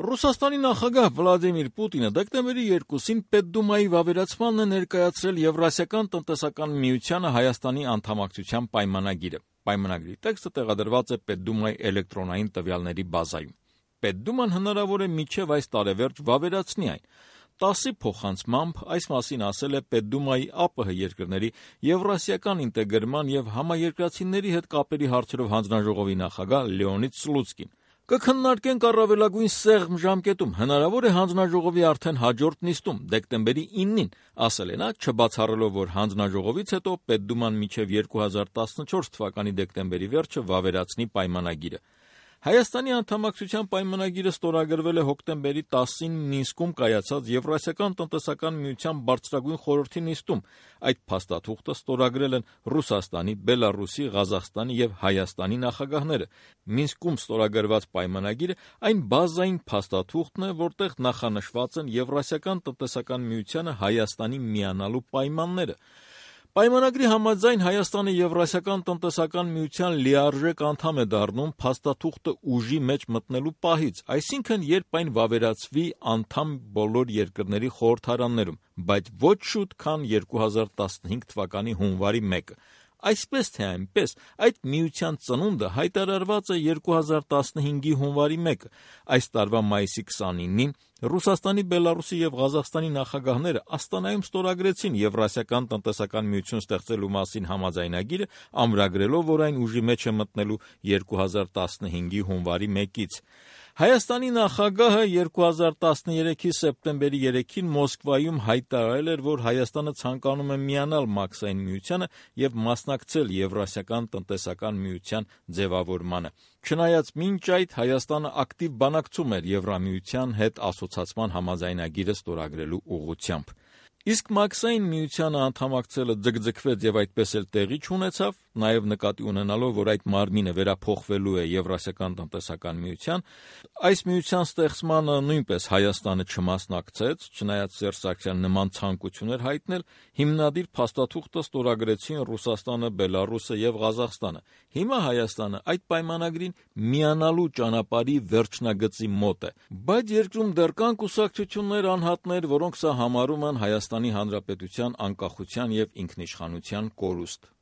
Ռուսաստանի նախագահ Վլադիմիր Պուտինը դեկտեմբերի 2-ին Պետդումայի վավերացմանն է ներկայացրել Եվրասիական տնտեսական միությանը Հայաստանի անդամակցության պայմանագիրը։ Պայմանագրի տեքստը տեղադրված է Պետդումայի էլեկտրոնային տվյալների բազայում։ Պետդուման հնարավոր է մինչև այս տարեվերջ վավերացնի այն։ 10-ի փոխանցմամբ այս մասին ասել է Պետդումայի ԱՊՀ երկրների եվրասիական ինտեգրման եւ համաերկրացիների հետ կապերի հարցերով հանձնաժողովի նախագահ Լեոնիդ Սլուցկին։ Կքննարկենք առավելագույն սեղմ ժամկետում, հնարավոր է հանձնաժողովի արդեն հաջորդ նիստում, դեկտեմբերի 9-ին, ասել է նա, չբացառելով, որ հանձնաժողովից հետո Պետդուման մինչև 2014 թվականի դեկտեմբերի վերջը վավերացնի պայմանագիրը։ Հայաստանի անդամակցության պայմանագիրը ստորագրվել է հոկտեմբերի 10-ին Մինսկում կայացած Եվրասիական տնտեսական միության բարձրագույն խորհրդի նիստում։ Այդ փաստաթուղթը ստորագրել են Ռուսաստանի, Բելարուսի, Ղազախստանի եւ Հայաստանի նախագահները։ Մինսկում ստորագրված պայմանագիրը այն բազային փաստաթուղթն է, որտեղ նախանշված են Եվրասիական տնտեսական միությանը Հայաստանի միանալու պայմանները։ Պայմանագրի համաձայն Հայաստանը Եվրասիական տնտեսական միության լիարժեք անդամ է դառնում փաստաթուղթը ուժի մեջ մտնելու պահից, այսինքն երբ այն վավերացվի անդամ բոլոր երկրների խորհրդարաններում, բայց ոչ շուտ, քան 2015 թվականի հունվարի 1-ը։ Այսպես թե այնպես, այդ միության ծնունդը հայտարարված է 2015-ի հունվարի 1-ը։ Այս տարվա մայիսի 29-ին Ռուսաստանի, Բելարուսի եւ Ղազախստանի նախագահները Աստանայում ստորագրեցին Եվրասիական տնտեսական միություն ստեղծելու մասին համաձայնագիրը, ամրագրելով, որ այն ուժի մեջ է մտնելու 2015-ի հունվարի 1-ից։ Հայաստանի նախագահը 2013-ի սեպտեմբերի 3-ին Մոսկվայում հայտարարել էր, որ Հայաստանը ցանկանում է միանալ Մաքսային միությանը եւ մասնակցել Եվրասիական տնտեսական միության ձևավորմանը։ Չնայած մինչ այդ Հայաստանը ակտիվ բանակցում էր Եվրամիության հետ ասոցացման համաձայնագիրը ստորագրելու ուղղությամբ։ Իսկ Մաքսային միությանը անդամակցելը ձգձգվեց եւ այդպես էլ տեղի չունեցավ, նաեւ նկատի ունենալով, որ այդ մարմինը վերափոխվելու է Եվրասիական տնտեսական միության, այս միության ստեղծմանը նույնպես Հայաստանը չմասնակցեց, չնայած Սերժ Սարգսյանը նման ցանկություն էր հայտնել, հիմնադիր փաստաթուղթը ստորագրեցին Ռուսաստանը, Բելարուսը եւ Ղազախստանը։ Հիմա Հայաստանը այդ պայմանագրին միանալու ճանապարհի վերջնագծի մոտ է, բայց երկրում դեռ կան կուսակցություններ, անհատներ, որոնք սա համարում են Հայաստանի Հանրապետության անկախության եւ ինքնիշխանության կորուստ։